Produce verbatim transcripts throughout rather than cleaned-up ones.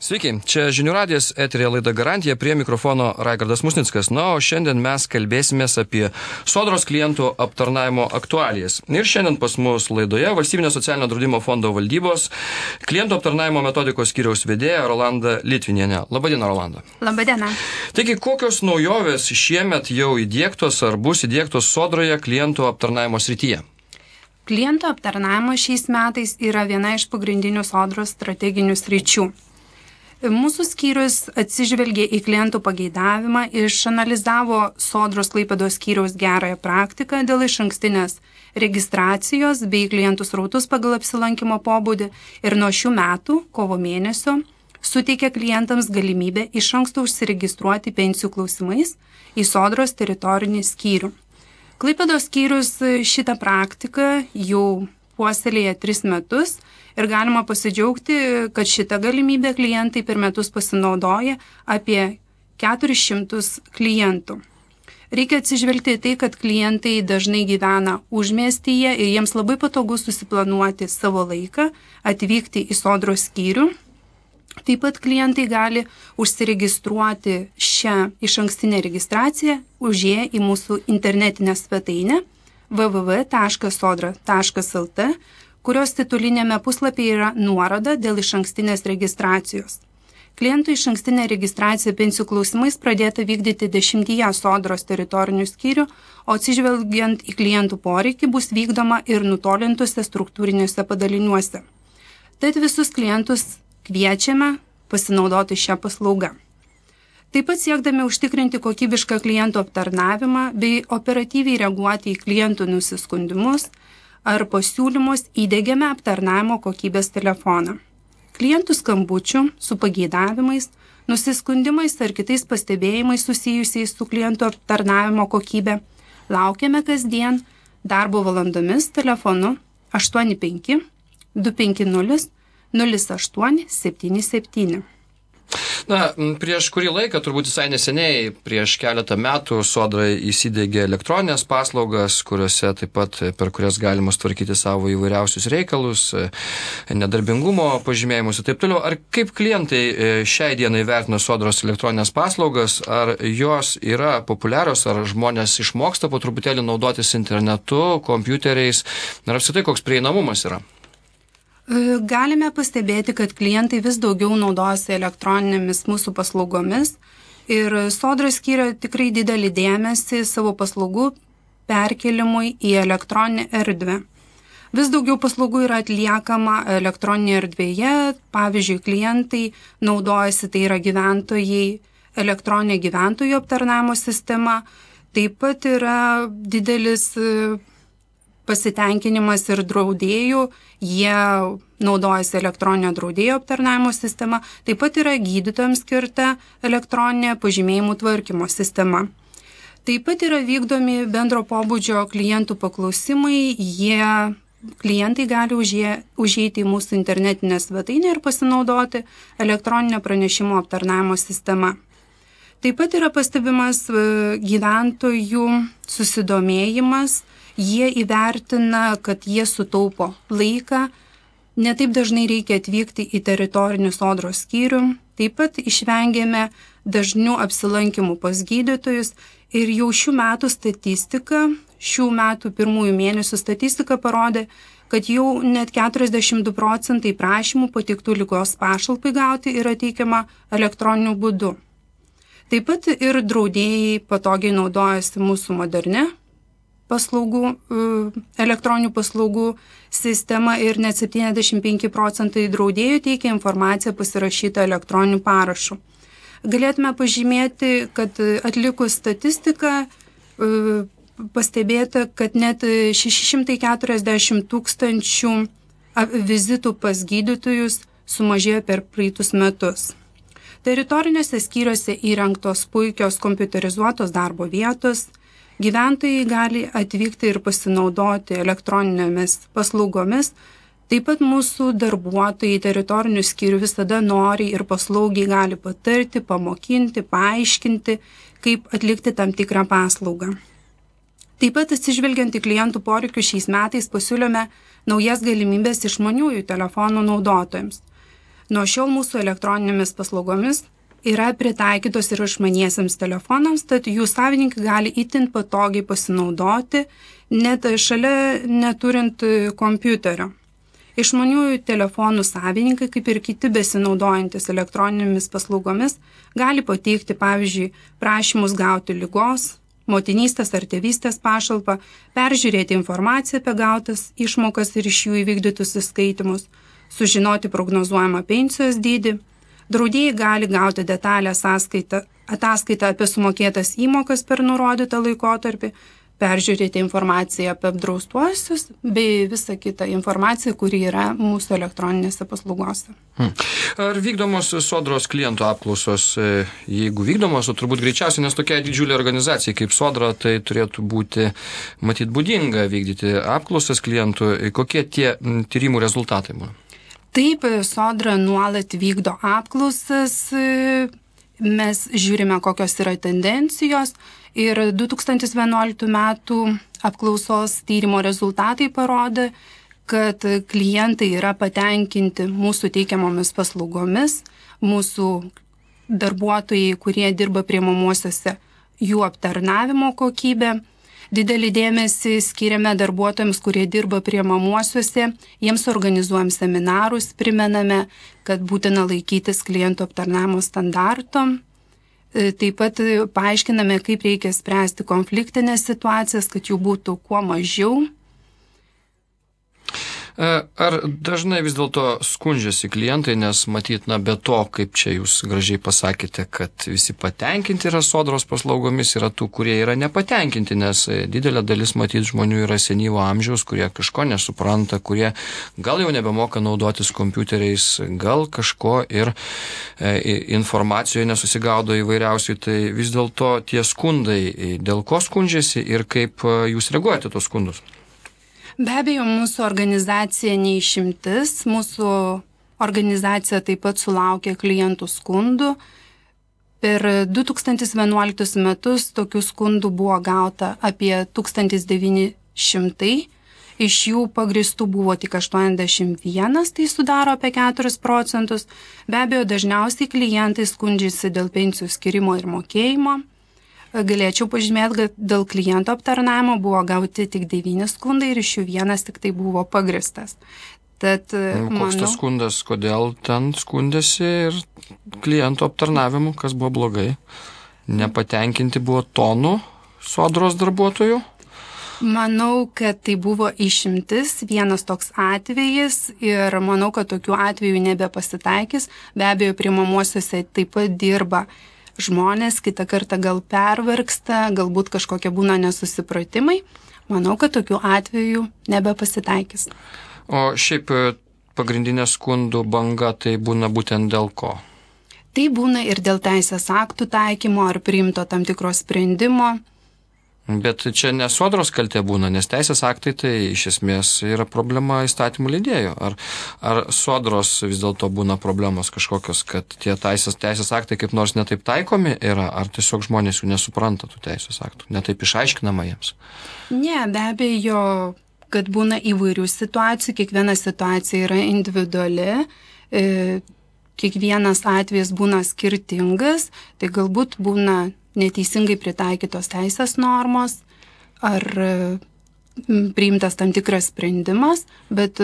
Sveiki, čia Žinių radijas, eteryje laida Garantija, prie mikrofono Raigardas Musnickas. Na, o šiandien mes kalbėsimės apie Sodros klientų aptarnavimo aktualijas. Ir šiandien pas mus laidoje Valstybinio socialinio draudimo fondo valdybos klientų aptarnavimo metodikos skyriaus vedėja Rolanda Litvinienė. Labadiena, Rolanda. Labadiena. Taigi, kokios naujovės šiemet jau įdiegtos ar bus įdiegtos Sodroje klientų aptarnavimo srityje? Klientų aptarnavimas šiais metais yra viena iš pagrindinių Sodros strateginių sričių. Mūsų skyrius atsižvelgė į klientų pageidavimą, išanalizavo Sodros Klaipėdos skyriaus gerąją praktiką dėl išankstinės registracijos bei klientų srautus pagal apsilankimo pobūdį ir nuo šių metų, kovo mėnesio, suteikė klientams galimybę iš anksto užsiregistruoti pensijų klausimais į Sodros teritorinį skyrių. Klaipėdos skyrius šitą praktiką jau puoselėja tris metus ir galima pasidžiaugti, kad šitą galimybę klientai per metus pasinaudoja apie keturis šimtus klientų. Reikia atsižvelgti į tai, kad klientai dažnai gyvena užmiestyje ir jiems labai patogu susiplanuoti savo laiką, atvykti į Sodros skyrių. Taip pat klientai gali užsiregistruoti šią išankstinę registraciją užėję į mūsų internetinę svetainę w w w taškas sodra taškas l t, kurios titulinėme puslapyje yra nuoroda dėl išankstinės registracijos. Klientų išankstinė registracija pensijų klausimais pradėta vykdyti dešimtyje Sodros teritorinių skyrių, o atsižvelgiant į klientų poreikį bus vykdoma ir nutolintose struktūriniuose padaliniuose. Tad visus klientus kviečiame pasinaudoti šią paslaugą. Taip pat siekdami užtikrinti kokybišką klientų aptarnavimą bei operatyviai reaguoti į klientų nusiskundimus ar pasiūlymus įdiegiame aptarnavimo kokybės telefoną. Klientų skambučių su pageidavimais, nusiskundimais ar kitais pastebėjimais susijusiais su klientų aptarnavimo kokybė laukiame kasdien darbo valandomis telefonu aštuoni penki du penki nulis nulis aštuoni septyni septyni. Na, prieš kurį laiką, turbūt visai neseniai, prieš keletą metų Sodra įsidiegė elektroninės paslaugas, kuriuose taip pat per kurias galima tvarkyti savo įvairiausius reikalus, nedarbingumo pažymėjimus ir taip toliau. Ar kaip klientai šiai dienai vertina Sodros elektroninės paslaugas, ar jos yra populiarios, ar žmonės išmoksta po truputėlį naudotis internetu, kompiuteriais, ar apskritai koks prieinamumas yra? Galime pastebėti, kad klientai vis daugiau naudojasi elektroninėmis mūsų paslaugomis ir Sodra skiria tikrai didelį dėmesį savo paslaugų perkelimui į elektroninę erdvę. Vis daugiau paslaugų yra atliekama elektroninėje erdvėje, pavyzdžiui, klientai naudojasi, tai yra gyventojai, elektroninė gyventojų aptarnavimo sistema, taip pat yra didelis pasitenkinimas ir draudėjų, jie naudojasi elektroninio draudėjo aptarnavimo sistema, taip pat yra gydytojams skirta elektroninė pažymėjimų tvarkymo sistema. Taip pat yra vykdomi bendro pobūdžio klientų paklausimai, jie, klientai gali užė, užeiti į mūsų internetinę svetainę ir pasinaudoti elektroninio pranešimo aptarnavimo sistema. Taip pat yra pastebimas gyventojų susidomėjimas. Jie įvertina, kad jie sutaupo laiką, netaip dažnai reikia atvykti į teritorinį Sodros skyrių, taip pat išvengėme dažnių apsilankimų pas gydytojus ir jau šių metų statistika, šių metų pirmųjų mėnesių statistika parodė, kad jau net keturiasdešimt du procentai prašymų pateiktų ligos pašalpai gauti yra teikiama elektroniniu būdu. Taip pat ir draudėjai patogiai naudojasi mūsų moderne paslaugų, elektroninių paslaugų sistema ir net septyniasdešimt penki procentai draudėjų teikia informaciją pasirašytą elektroniniu parašu. Galėtume pažymėti, kad atlikus statistiką pastebėta, kad net šeši šimtai keturiasdešimt tūkstančių vizitų pas gydytojus sumažėjo per praeitus metus. Teritoriniuose skyriuose įrengtos puikios kompiuterizuotos darbo vietos, gyventojai gali atvykti ir pasinaudoti elektroninėmis paslaugomis. Taip pat mūsų darbuotojai teritorinių skyrių visada noriai ir paslaugiai gali patarti, pamokinti, paaiškinti, kaip atlikti tam tikrą paslaugą. Taip pat atsižvelgiant į klientų poreikius šiais metais pasiūlėme naujas galimybės išmaniųjų telefonų naudotojams. Nuo šiol mūsų elektroninėmis paslaugomis yra pritaikytos ir išmaniesiems telefonams, tad jų savininkai gali itin patogiai pasinaudoti, net šalia neturint kompiuterio. Išmaniųjų telefonų savininkai, kaip ir kiti besinaudojantis elektroninėmis paslaugomis, gali pateikti, pavyzdžiui, prašymus gauti ligos, motinystės ar tėvystės pašalpą, peržiūrėti informaciją apie gautas išmokas ir iš jų įvykdytus įskaitimus, sužinoti prognozuojamą pensijos dydį. Draudėjai gali gauti detalę sąskaitą, ataskaitą apie sumokėtas įmokas per nurodytą laikotarpį, peržiūrėti informaciją apie apdraustuosius bei visą kitą informaciją, kuri yra mūsų elektroninėse paslaugose. Hmm. Ar vykdomos Sodros klientų apklausos, jeigu vykdomos, o turbūt greičiausiai, nes tokia didžiulė organizacija kaip Sodra, tai turėtų būti, matyt, būdinga vykdyti apklausas klientų, kokie tie tyrimų rezultatai būna? Taip, Sodra nuolat vykdo apklausas, mes žiūrime, kokios yra tendencijos ir du tūkstantis vienuoliktų metų apklausos tyrimo rezultatai parodė, kad klientai yra patenkinti mūsų teikiamomis paslaugomis, mūsų darbuotojai, kurie dirba priimamuosiuose, jų aptarnavimo kokybė. Didelį dėmesį skiriame darbuotojams, kurie dirba priimamuosiuose, jiems organizuojam seminarus, primename, kad būtina laikytis klientų aptarnavimo standarto. Taip pat paaiškiname, kaip reikia spręsti konfliktinės situacijas, kad jų būtų kuo mažiau. Ar dažnai vis dėlto skundžiasi klientai, nes matyt, na, be to, kaip čia jūs gražiai pasakėte, kad visi patenkinti yra Sodros paslaugomis, yra tų, kurie yra nepatenkinti, nes didelė dalis matyt žmonių yra senyvo amžiaus, kurie kažko nesupranta, kurie gal jau nebemoka naudotis kompiuteriais, gal kažko ir e, informacijoje nesusigaudo įvairiausių, tai vis dėlto tie skundai, dėl ko skundžiasi ir kaip jūs reaguojate tos skundus? Be abejo, mūsų organizacija neišimtis, mūsų organizacija taip pat sulaukė klientų skundų. Per du tūkstantis vienuoliktus metus tokių skundų buvo gauta apie tūkstantis devyni šimtai, iš jų pagristų buvo tik aštuoniasdešimt vienas, tai sudaro apie keturis procentus. Be abejo, dažniausiai klientai skundžiasi dėl pensijų skirimo ir mokėjimo. Galėčiau pažymėti, kad dėl kliento aptarnavimo buvo gauti tik devyni skundai ir iš jų vienas tik tai buvo pagristas. Tad, Koks manau, tas skundas, kodėl ten skundėsi ir kliento aptarnavimu, kas buvo blogai? Nepatenkinti buvo tonų Sodros darbuotojų? Manau, kad tai buvo išimtis, vienas toks atvejis ir manau, kad tokių atvejų nebepasitaikys. Be abejo, priimamuosiuose taip pat dirba žmonės, kitą kartą gal pervargsta, galbūt kažkokie būna nesusipratimai. Manau, kad tokių atvejų nebepasitaikys. O šiaip pagrindinė skundų banga tai būna būtent dėl ko? Tai būna ir dėl teisės aktų taikymo ar priimto tam tikro sprendimo. Bet čia ne Sodros kaltė būna, nes teisės aktai tai iš esmės yra problema įstatymų leidėjų. Ar, ar Sodros vis dėlto būna problemos kažkokios, kad tie teisės, teisės aktai kaip nors netaip taikomi yra, ar tiesiog žmonės jų nesupranta tų teisės aktų, netaip išaiškinama jiems? Ne, be abejo, kad būna įvairių situacijų, kiekviena situacija yra individuali, e, kiekvienas atvejis būna skirtingas, tai galbūt būna neteisingai pritaikytos teisės normos ar priimtas tam tikras sprendimas, bet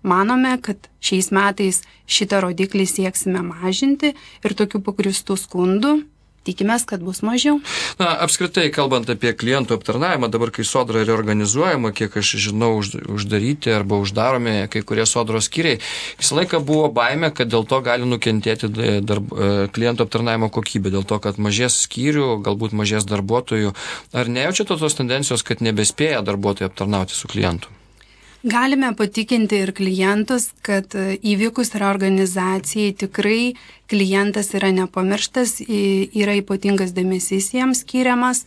manome, kad šiais metais šitą rodiklį sieksime mažinti ir tokių pagristų skundų tikimės, kad bus mažiau. Na, apskritai, kalbant apie klientų aptarnavimą, dabar, kai Sodra reorganizuojama, kiek aš žinau, uždaryti arba uždaromi kai kurie Sodros skyriai, visą laiką buvo baimė, kad dėl to gali nukentėti darb, klientų aptarnavimo kokybė, dėl to, kad mažės skyrių, galbūt mažės darbuotojų. Ar nejaučiate tos tendencijos, kad nebespėja darbuotojai aptarnauti su klientu? Galime patikinti ir klientus, kad įvykus reorganizacijai tikrai klientas yra nepamirštas, yra ypatingas dėmesys jiems skiriamas.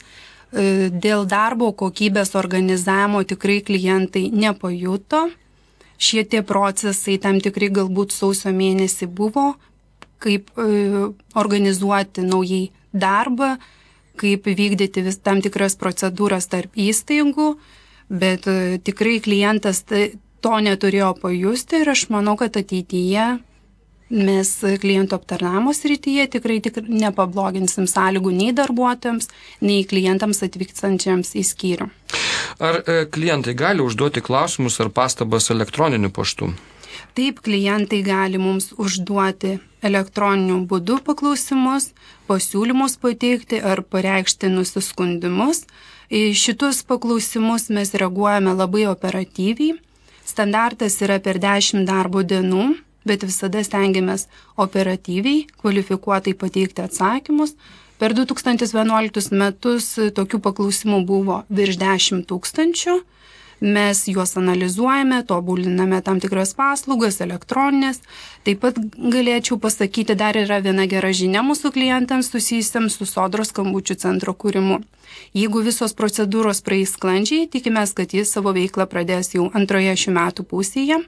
Dėl darbo kokybės organizavimo tikrai klientai nepajuto. Šitie procesai tam tikrai galbūt sausio mėnesį buvo, kaip organizuoti naujai darbą, kaip vykdyti vis tam tikras procedūras tarp įstaigų. Bet tikrai klientas to neturėjo pajusti ir aš manau, kad ateityje Mes klientų aptarnavimo srityje tikrai, tikrai nepabloginsim sąlygų nei darbuotojams, nei klientams atvykstančiams į skyrių. Ar e, klientai gali užduoti klausimus ar pastabas elektroniniu paštu? Taip, klientai gali mums užduoti elektroniniu būdu paklausimus, pasiūlymus pateikti ar pareikšti nusiskundimus. Į šitus paklausimus mes reaguojame labai operatyviai. Standartas yra per dešimt darbo dienų, bet visada stengiamės operatyviai, kvalifikuotai pateikti atsakymus. Per du tūkstančiai vienuoliktus metus tokių paklausimų buvo virš dešimt tūkstančių. Mes juos analizuojame, tobuliname tam tikras paslaugas, elektroninės. Taip pat galėčiau pasakyti, dar yra viena gera žinia mūsų klientams susijusiams su Sodros skambučių centro kūrimu. Jeigu visos procedūros praeis sklandžiai, tikimės, kad jis savo veiklą pradės jau antroje šių metų pusėje.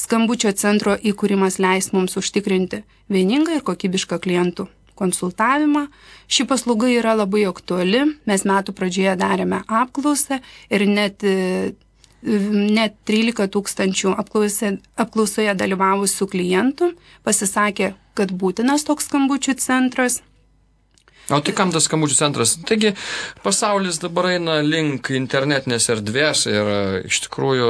Skambučio centro įkūrimas leis mums užtikrinti vieningą ir kokybišką klientų konsultavimą. Ši paslauga yra labai aktuali. Mes metų pradžioje darėme apklausą ir net, net trylika tūkstančių apklausė, apklausoje dalyvavusių klientų pasisakė, kad būtinas toks skambučių centras. O tai kam tas skambučių centras? Taigi pasaulis dabar eina link internetinės erdvės ir iš tikrųjų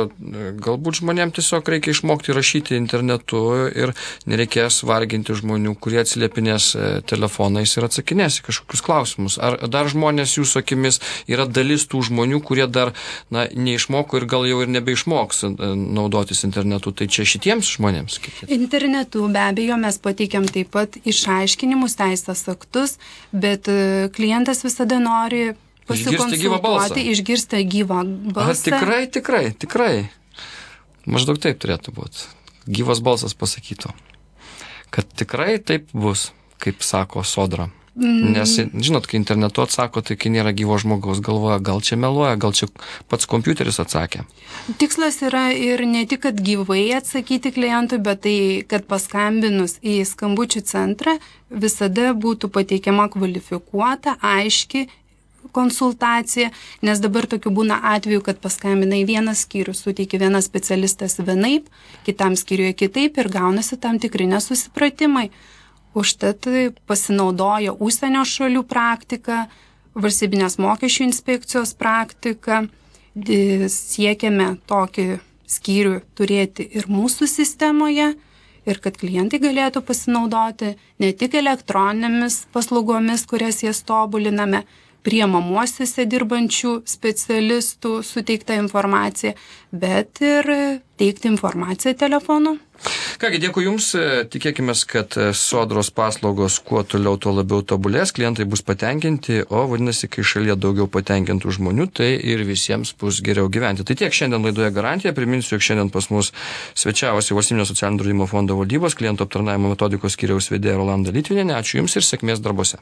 galbūt žmonėms tiesiog reikia išmokti rašyti internetu ir nereikės varginti žmonių, kurie atsiliepinės telefonais ir atsakinės į kažkokius klausimus. Ar dar žmonės jūsų akimis yra dalis tų žmonių, kurie dar na, neišmoko ir gal jau ir nebeišmoks naudotis internetu? Tai čia šitiems žmonėms? Internetu be abejo mes pateikiam taip pat išaiškinimus, teisės aktus, bet klientas visada nori pasikonsultuoti, išgirsti gyvą balsą. A, tikrai, tikrai, tikrai. Maždaug taip turėtų būti. Gyvas balsas pasakytų, kad tikrai taip bus, kaip sako Sodra. Mm. Nes, žinot, kai internetu atsako, tai kai nėra gyvo žmogaus, galvoja, gal čia meluoja, gal čia pats kompiuteris atsakė. Tikslas yra ir ne tik, kad gyvai atsakyti klientui, bet tai, kad paskambinus į skambučių centrą visada būtų pateikiama kvalifikuota, aiški konsultacija, nes dabar tokių būna atveju, kad paskambina į vieną skyrių, suteikia vienas specialistas vienaip, kitam skyriuje kitaip ir gaunasi tam tikri nesusipratimai. Užtat pasinaudoja užsienio šalių praktika, valstybinės mokesčių inspekcijos praktika. Siekiame tokį skyrių turėti ir mūsų sistemoje ir kad klientai galėtų pasinaudoti ne tik elektroninėmis paslaugomis, kurias jas tobuliname, priemamuosiuose dirbančių specialistų suteiktą informaciją, bet ir teikti informaciją telefonu. Kągi, dėkui Jums, tikėkime, kad Sodros paslaugos kuo toliau, tuo labiau tobulės, klientai bus patenkinti, o vadinasi, kai šalyje daugiau patenkintų žmonių, tai ir visiems bus geriau gyventi. Tai tiek šiandien laidoje Garantija, priminsiu, jog šiandien pas mus svečiavosi Valstybinio socialinio draudimo fondo valdybos klientų aptarnavimo metodikos skyriaus vedėja Rolanda Litvinienė. Ačiū Jums ir sėkmės darbuose.